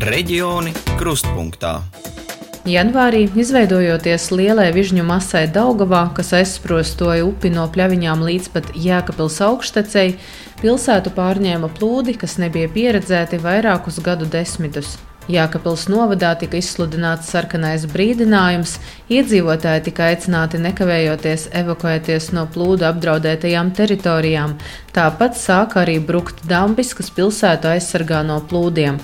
Reģioni krustpunktā. Janvārī, izveidojoties lielai vižņu masai Daugavā, kas aizsprostoja upi no Pļaviņām līdz pat Jēkabpils augštecei, pilsētu pārņēma plūdi, kas nebija pieredzēti vairākus gadu desmitus. Jēkabpils novadā tika izsludināts sarkanais brīdinājums, iedzīvotāji tika aicināti nekavējoties evakuēties no plūdu apdraudētajām teritorijām, tāpat sāka arī brukt dambis, kas pilsētu aizsargā no plūdiem.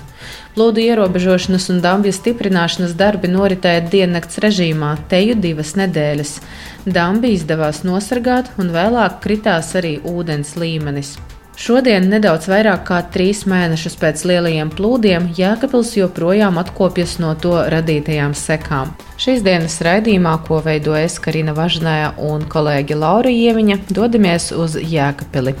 Plūdu ierobežošanas un dambju stiprināšanas darbi noritēja diennakts režīmā, teju 2 nedēļas. Dambi izdevās nosargāt un vēlāk kritās arī ūdens līmenis. Šodien, nedaudz vairāk kā 3 mēnešus pēc lielajiem plūdiem, Jēkabpils joprojām atkopjas no to radītajām sekām. Šīs dienas raidījumā, ko veido es, Karina Važnāja un kolēģe Laura Ieviņa, dodamies uz Jēkabpili.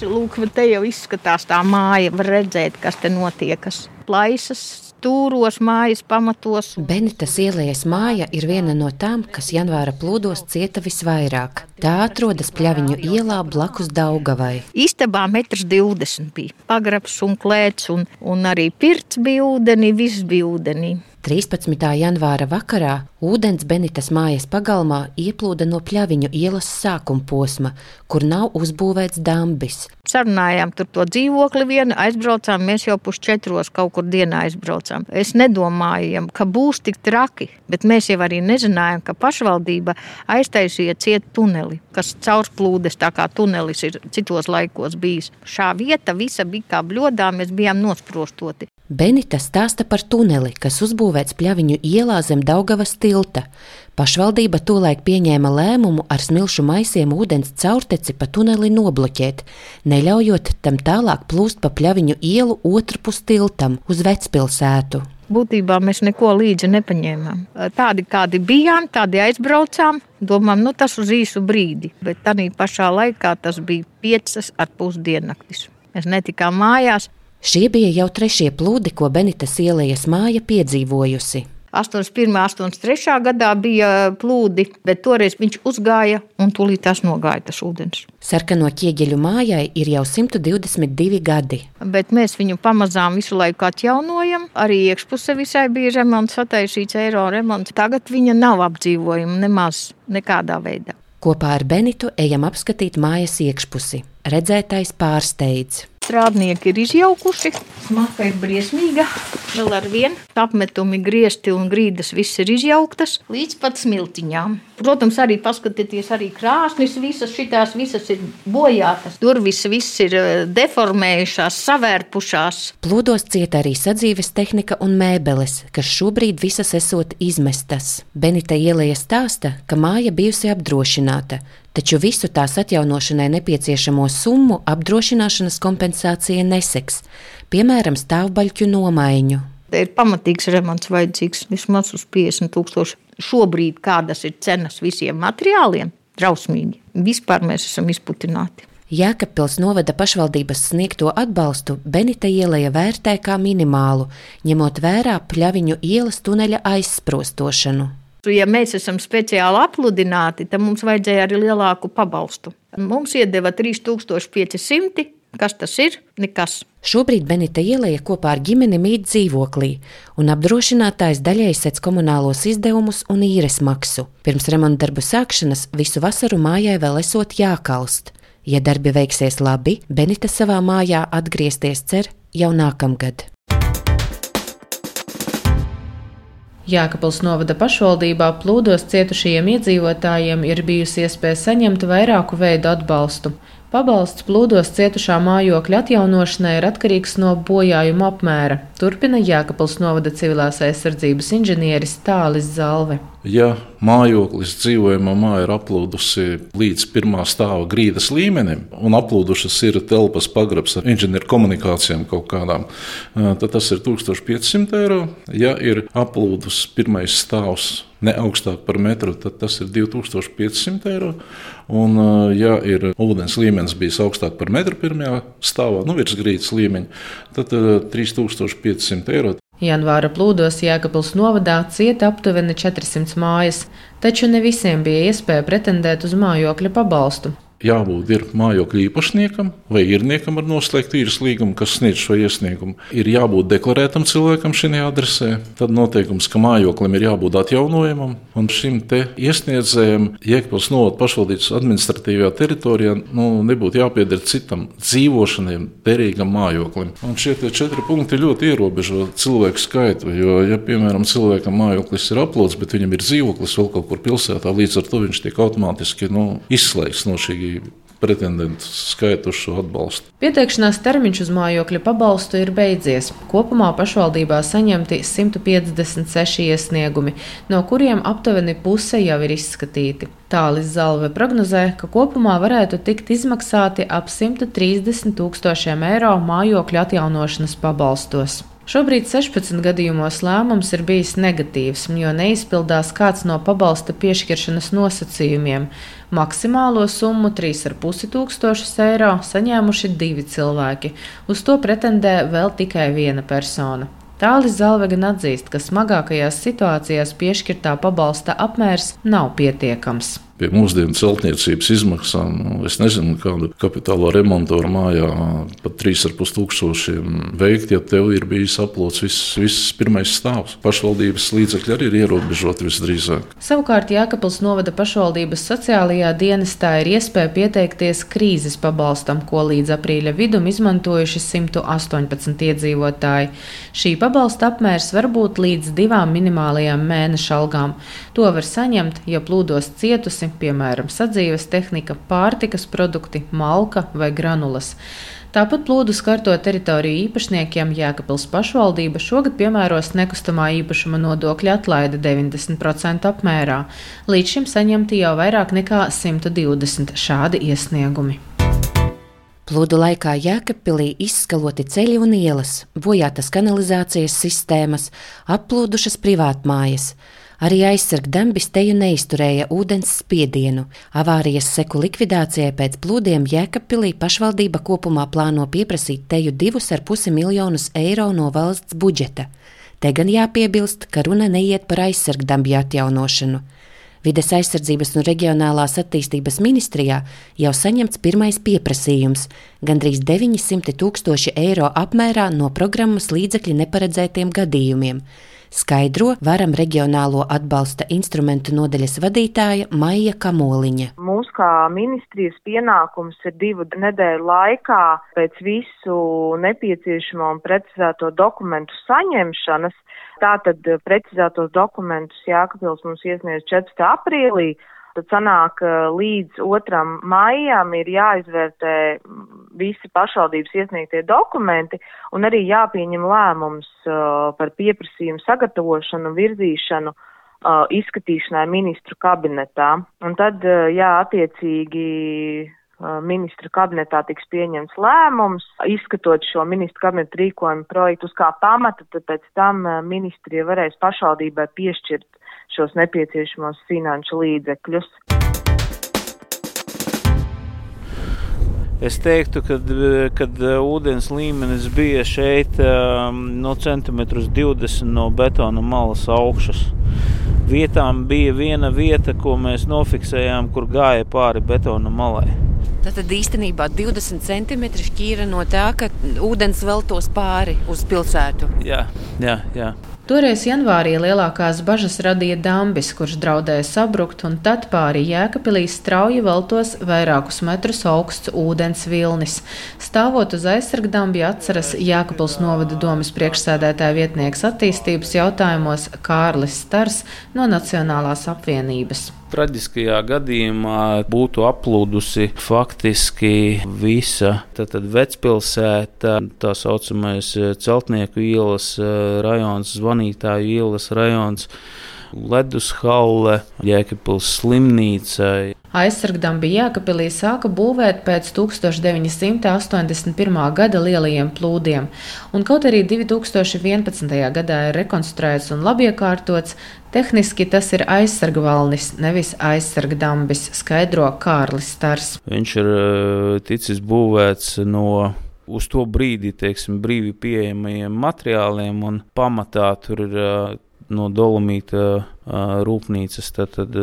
Lūk, te jau izskatās tā māja, var redzēt, kas te notiekas. Plaisas, stūros, mājas pamatos. Benitas ielas māja ir viena no tām, kas janvāra plūdos cieta visvairāk. Tā atrodas Pļaviņu ielā blakus Daugavai. Istabā 1,20 m bija. Pagrabs un klēts un arī pirts bija ūdenī, viss bija ūdenī. 13. janvāra vakarā ūdens Benitas mājas pagalmā ieplūda no Pļaviņu ielas sākuma posma, kur nav uzbūvēts dambis. Sarunājām tur to dzīvokli vienu, aizbraucām, mēs jau 3:30 kaut kur dienā aizbraucām. Es nedomājam, ka būs tik traki, bet mēs jau arī nezinājām, ka pašvaldība aiztaisīja ciet tuneli, kas caurplūdes, tā kā tunelis ir citos laikos bijis. Šā vieta visa bija kā bļodā, mēs bijām nosprostoti. Benita stāsta par tuneli, kas uzbūvēts Pļaviņu ielā zem Daugavas tilta. Pašvaldība tolaik pieņēma lēmumu ar smilšu maisiem ūdens caurteci pa tuneli nobloķēt, neļaujot tam tālāk plūst pa Pļaviņu ielu otrpus tiltam uz Vecpilsētu. Būtībā mēs neko līdzi nepaņēmām. Tādi, kādi bijām, tādi aizbraucām, domām, tas uz īsu brīdi, bet tādā pašā laikā tas bija 5,5 diennaktis. Mēs netikām mājās. Šie bija jau 3. plūdi, ko Benitas ielas māja piedzīvojusi. 81. 83. gadā bija plūdi, bet toreiz viņš uzgāja un tūlīt tās nogāja tas ūdens. Sarkano ķieģeļu mājai ir jau 122 gadi. Bet mēs viņu pamazām visu laiku atjaunojam. Arī iekšpuse visai bija remonts, sataisīts eiro remonts. Tagad viņa nav apdzīvojama nemaz nekādā veidā. Kopā ar Benitu ejam apskatīt mājas iekšpusi. Redzētais pārsteidz. Strādnieki ir izjaukuši, smaka ir briesmīga, vēl ar vienu. Apmetumi, griesti un grīdas viss ir izjauktas līdz pat smiltiņām. Protams, arī paskatieties, arī krāsnis, visas ir bojātas. Durvis viss ir deformējušās, savērpušās. Plūdos cieta arī sadzīves tehnika un mēbeles, kas šobrīd visas esot izmestas. Benita ielas stāsta, ka māja bijusi apdrošināta, taču visu tās atjaunošanai nepieciešamo summu apdrošināšanas kompensācija neseks, piemēram, stāvbaļķu nomaiņu. Te ir pamatīgs remonts vajadzīgs, vismaz uz 50,000. Šobrīd kādas ir cenas visiem materiāliem? Drausmīgi. Vispār mēs esam izputināti. Jēkabpils novada pašvaldības sniegto atbalstu Benita ieleja vērtē kā minimālu, ņemot vērā Pļaviņu ielas tuneļa aizsprostošanu. Ja mēs esam speciāli apludināti, tad mums vajadzēja arī lielāku pabalstu. Mums iedeva 3,500. Kas tas ir? Nekas. Šobrīd Benita ieleja kopā ar ģimeni mīt dzīvoklī, un apdrošinātājs daļai sedz komunālos izdevumus un īres maksu. Pirms remontdarbu sākšanas visu vasaru mājai vēl esot jākalst. Ja darbi veiksies labi, Benita savā mājā atgriezties cer jau nākamgad. Jēkabpils novada pašvaldībā plūdos cietušajiem iedzīvotājiem ir bijusi iespēja saņemt vairāku veidu atbalstu. Pabalsts plūdos cietušā mājokļa atjaunošanai ir atkarīgs no bojājuma apmēra. Turpina Jēkabpils novada civilās aizsardzības inženieris Tālis Zalve. Ja mājoklis dzīvojamā māja ir aplūdusi līdz 1. stāva grīdas līmenim un aplūdušas ir telpas pagrabs ar inženieru komunikācijām kaut kādām, tad tas ir 1,500 eiro. Ja ir aplūdus 1. stāvs ne augstāk par metru, tad tas ir 2,500 eiro. Un, ja ir ūdens līmenis bijis augstāk par metru 1. stāvā, virs grīdas līmeņa, tad 3,500 eiro. Janvāra plūdos Jēkabpils novadā cieta aptuveni 400 mājas, taču ne visiem bija iespēja pretendēt uz mājokļa pabalstu. jābūt ir mājokļa īpašniekam vai īrniekam ar noslēgtu īres līgumu, kas sniedz šo iesniegumu. Ir jābūt deklarētam cilvēkam šajā adresē. Tad noteikums, ka mājoklim ir jābūt atjaunojamam, un šim te iesniedzējam Jēkabpils novada pašvaldības administratīvajā teritorijā nebūtu jāpieder citam dzīvošanai derīgam mājoklim. Un šie 4 punkti ļoti ierobežo cilvēku skaitu, jo, ja, piemēram, cilvēkam mājoklis ir aplūds, bet viņam ir dzīvoklis vēl kaut kur pilsētā, līdz ar to viņš tiek automātiski izslēgts no šī pretendentu skaitu uz šo atbalstu. Pieteikšanās termiņš uz mājokļa pabalstu ir beidzies. Kopumā pašvaldībā saņemti 156 iesniegumi, no kuriem aptuveni puse jau ir izskatīti. Tālis Zalve prognozē, ka kopumā varētu tikt izmaksāti ap 130 000 eiro mājokļa atjaunošanas pabalstos. Šobrīd 16 gadījumos lēmums ir bijis negatīvs, jo neizpildās kāds no pabalsta piešķiršanas nosacījumiem. Maksimālo summu 3,5 eiro saņēmuši 2 cilvēki. Uz to pretendē vēl tikai viena persona. Tālis Zalve gan atzīst, ka smagākajās situācijās piešķirtā pabalsta apmērs nav pietiekams. Pie mūsdienu celtniecības izmaksām, es nezinu, kādu kapitālo remontoru mājā pat 3,5 veikt, ja tev ir bijis aplods viss pirmais stāvs. Pašvaldības līdzekļi arī ir ierobežoti visdrīzāk. Savukārt Jēkabpils novada pašvaldības sociālajā dienestā ir iespēja pieteikties krīzes pabalstam, ko līdz aprīļa vidum izmantojuši 118 iedzīvotāji. Šī pabalsta apmērs var būt līdz 2 minimālajām mēneša algām. To var saņemt, ja plūdos cietusi, piemēram, sadzīves tehnika, pārtikas produkti, malka vai granulas. Tāpat plūdu skarto teritoriju īpašniekiem Jēkabpils pašvaldība šogad piemēros nekustamā īpašuma nodokļa atlaide 90% apmērā. Līdz šim saņemti jau vairāk nekā 120 šādi iesniegumi. Plūdu laikā Jēkabpilī izskaloti ceļi un ielas, bojātas kanalizācijas sistēmas, applūdušas privātmājas. Arī aizsargdambis teju neizturēja ūdens spiedienu. Avārijas seku likvidācijai pēc plūdiem Jēkabpilī pašvaldība kopumā plāno pieprasīt teju 2,5 miljonus eiro no valsts budžeta. Te gan jāpiebilst, ka runa neiet par aizsargdambju atjaunošanu. Vides aizsardzības un reģionālās attīstības ministrijā jau saņemts pirmais pieprasījums – gandrīz 900 000 eiro apmērā no programmas līdzekļu neparedzētiem gadījumiem. Skaidro Varam reģionālo atbalsta instrumentu nodaļas vadītāja Maija Kamoliņa. Mūsu kā ministrijas pienākums ir 2 nedēļu laikā pēc visu nepieciešamo un precizēto dokumentu saņemšanas. Tātad precizētos dokumentus Jēkabpils mums iesniedz 4. aprīlī. Tad sanāk, līdz 2. maijam ir jāizvērtē visi pašvaldības iesniegtie dokumenti un arī jāpieņem lēmums par pieprasījumu sagatavošanu un virzīšanu izskatīšanai ministru kabinetā. Un tad, attiecīgi ministru kabinetā tiks pieņemts lēmums, izskatot šo ministru kabinetu rīkojumu projektu uz kā pamata, tad pēc tam ministrija varēs pašvaldībai piešķirt šos nepieciešamos finanšu līdzekļus. Es teiktu, kad ūdens līmenis bija šeit no 20 cm no betona malas augšas. Vietām bija viena vieta, ko mēs nofiksējām, kur gāja pāri betona malai. Tad īstenībā 20 cm šķīra no tā, ka ūdens veltos pāri uz pilsētu. Jā. Toreiz janvārī lielākās bažas radīja dambis, kurš draudēja sabrukt, un tad pāri Jēkabpilī strauji veltos vairākus metrus augsts ūdens vilnis. Stāvot uz aizsargdambja atceras Jēkabpils novada domes priekšsēdētāja vietnieks attīstības jautājumos Kārlis Stars no Nacionālās apvienības. Traģiskajā gadījumā būtu aplūdusi faktiski visa vecpilsēta, tā saucamais Celtnieku ielas rajons, Zvanītāju ielas rajons, Ledushalle, Jēkabpils slimnīca. Aizsargdambi Jēkabpilī sāka būvēt pēc 1981. gada lielajiem plūdiem, un kaut arī 2011. gadā ir rekonstruēts un labiekārtots, tehniski tas ir aizsargvalnis, nevis aizsargdambis, skaidro Kārlis Stars. Viņš ir ticis būvēts no uz to brīdi, brīvi pieejamajiem materiāliem, un pamatā tur ir no dolomīta rūpnīcas tad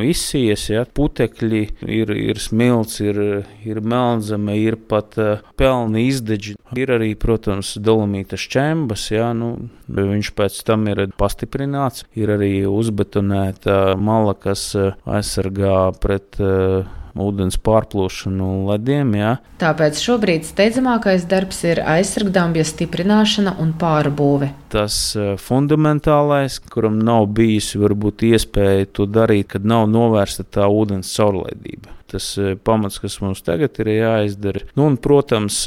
izsies, ja, putekļi, ir smilts, ir melnzeme, ir pat pelni izdeģi. Ir arī, protams, dolomīta šķembas, ja, viņš pēc tam ir pastiprināts, ir arī uzbetonēta mala, kas aizsargā pret ūdens pārplūšanu lediem. Jā. Tāpēc šobrīd steidzamākais darbs ir aizsargdambja stiprināšana un pārbūve. Tas fundamentālais, kuram nav bijusi varbūt iespēja to darīt, kad nav novērsta tā ūdens caurlaidība. Tas pamats, kas mums tagad ir jāizdara. Un, protams,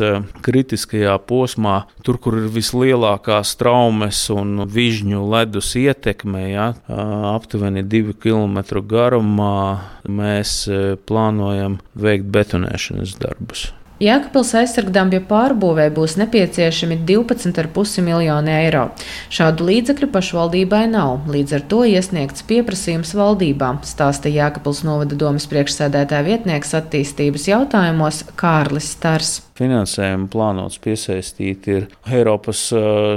kritiskajā posmā, tur, kur ir vislielākās traumes un vižņu ledus ietekme, ja, aptuveni 2 kilometru garumā, mēs plānojam veikt betonēšanas darbus. Jēkabpils aizsargdambja pārbūvē būs nepieciešami 12,5 miljoni eiro. Šādu līdzekļu pašvaldībai nav, līdz ar to iesniegts pieprasījums valdībā, stāsta Jēkabpils novada domes priekšsēdētāja vietnieks attīstības jautājumos Kārlis Stars. Finansējumu plānots piesaistīt ir Eiropas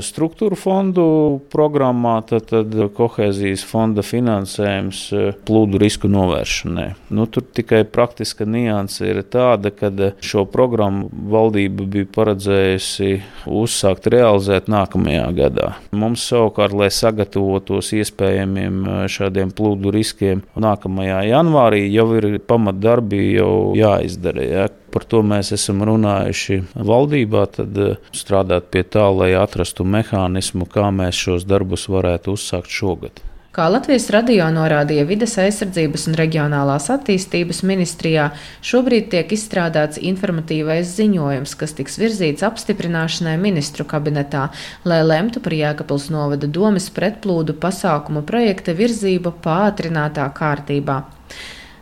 struktūru fondu programmā, tad kohēzijas fonda finansējums plūdu risku novēršanai. Tur tikai praktiska nianse ir tāda, ka šo programmu valdība bija paredzējusi uzsākt realizēt nākamajā gadā. Mums savukārt, lai sagatavotos iespējamiem šādiem plūdu riskiem nākamajā janvārī, jau ir pamatdarbi jau jāizdara. Ja? Par to mēs esam runājuši valdībā, tad strādāt pie tā, lai atrastu mehānismu, kā mēs šos darbus varētu uzsākt šogad. Kā Latvijas radio norādīja Vides aizsardzības un reģionālās attīstības ministrijā, šobrīd tiek izstrādāts informatīvais ziņojums, kas tiks virzīts apstiprināšanai ministru kabinetā, lai lemtu par Jēkabpils novada domes pretplūdu pasākumu projekta virzību pātrinātā kārtībā.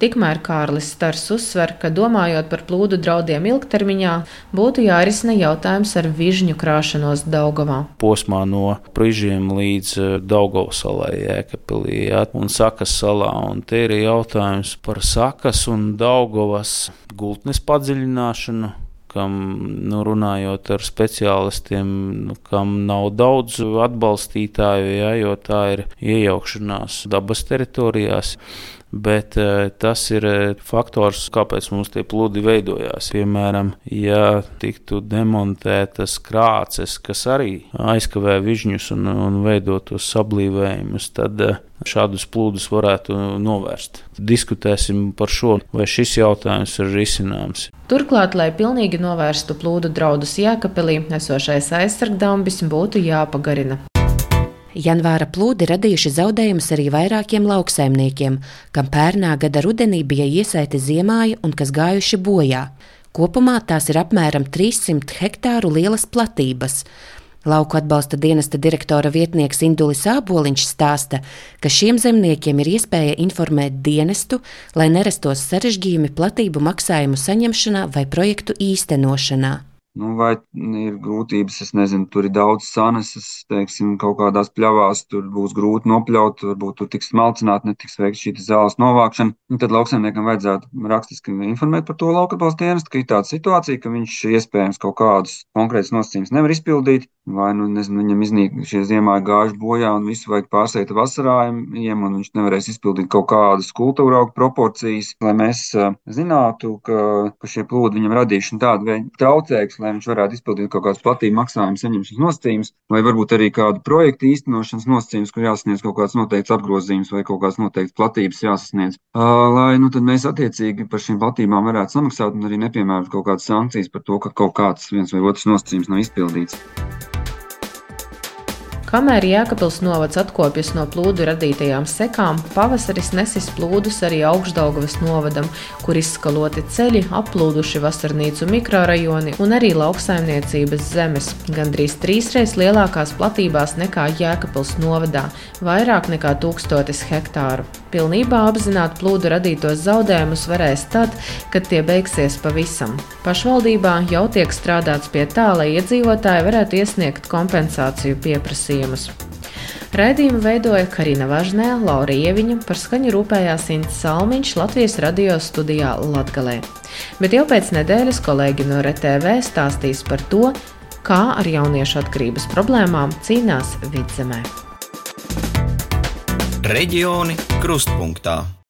Tikmēr Kārlis Stars uzsver, ka domājot par plūdu draudiem ilgtermiņā, būtu jārisina jautājums ar vižņu krāšanos Daugavā. Posmā no Prižiem līdz Daugavas salai Jēkabpilī, ja, un Sakas salā. Un te ir jautājums par Sakas un Daugavas gultnes padziļināšanu, kam, runājot ar speciālistiem, kam nav daudz atbalstītāju, ja, jo tā ir iejaukšanās dabas teritorijās. Bet tas ir faktors, kāpēc mums tie plūdi veidojās. Piemēram, ja tiktu demontētas krāces, kas arī aizkavē vižņus un veidotos sablīvējumus, tad šādus plūdus varētu novērst. Diskutēsim par šo, vai šis jautājums ir risināms. Turklāt, lai pilnīgi novērstu plūdu draudus Jēkabpilī, esošais aizsargdambis būtu jāpagarina. Janvāra plūdi radījuši zaudējumus arī vairākiem lauksaimniekiem, kam pērnā gada rudenī bija iesaiti ziemāji un kas gājuši bojā. Kopumā tās ir apmēram 300 hektāru lielas platības. Lauku atbalsta dienesta direktora vietnieks Indulis Āboliņš stāsta, ka šiem zemniekiem ir iespēja informēt dienestu, lai nerastos sarežģījumi platību maksājumu saņemšanā vai projektu īstenošanā. Vai ir grūtības, es nezinu, tur ir daudz saneses, teiksim, kaut kādās pļavās, tur būs grūti nopļaut, varbūt tur tiks smalcināt, netiks veikt šī zāles novākšana. Tad lauksaimniekam vajadzētu rakstiski informēt par to lauku atbalsta dienestu, ka ir tāda situācija, ka viņš iespējams kaut kādus konkrētus nosacījumus nevar izpildīt, vai, viņam iznīk šie ziemāji gājuši bojā un visu vajag pārsēt vasarājumiem, un viņš nevarēs izpildīt kaut kādas kultūra augu proporcijas, lai mēs zinātu, ka šie plūdi viņam radīšana tāda veida traucēks, lai viņš varētu izpildīt kaut kādus platību maksājumu saņemšanas nosacījumus, vai varbūt arī kādu projektu īstenošanas nosacījumus, kur jāsasniedz kaut kāds noteikts apgrozījums vai kaut kāds noteikts platības jāsasniedz. Lai tad mēs attiecīgi par šīm platībām varētu samaksāt un arī nepiemērot kaut kādas sankcijas par to, ka kaut kāds viens vai otrs nosacījums nav izpildīts. Kamēr Jēkabpils novads atkopjas no plūdu radītajām sekām, pavasaris nesis plūdus arī Augšdaugavas novadam, kur izskaloti ceļi, applūduši vasarnīcu mikrorajoni un arī lauksaimniecības zemes. Gandrīz 3x lielākās platībās nekā Jēkabpils novadā, vairāk nekā 1000 hektāru. Pilnībā apzināt plūdu radītos zaudējumus varēs tad, kad tie beigsies pavisam. Pašvaldībā jau tiek strādāts pie tā, lai iedzīvotāji varētu iesniegt kompensāciju pieprasījumus. Raidījumu veidoja Karina Važnē, Laura Ieviņa, par skaņu rūpējās Ints Salmiņš Latvijas radio studijā Latgalē. Bet jau pēc nedēļas kolēģi no RTV stāstīs par to, kā ar jauniešu atkarības problēmām cīnās Vidzemē. Reģioni krustpunktā.